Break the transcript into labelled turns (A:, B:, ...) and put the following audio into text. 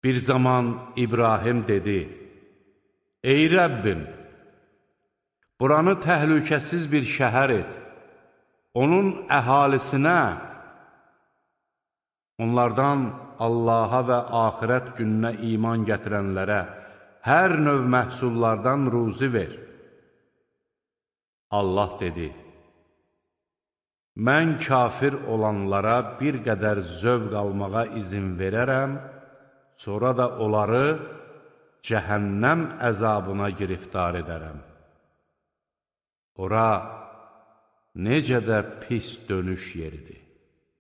A: Bir zaman İbrahim dedi, ey Rəbbim, buranı təhlükəsiz bir şəhər et, onun əhalisinə, onlardan Allaha və axirət gününə iman gətirənlərə hər növ məhsullardan ruzi ver. Allah dedi, mən kafir olanlara bir qədər zövq almağa izin verərəm, sonra da onları cəhənnəm əzabına giriftar edərəm. Ora necə də pis dönüş yeridir.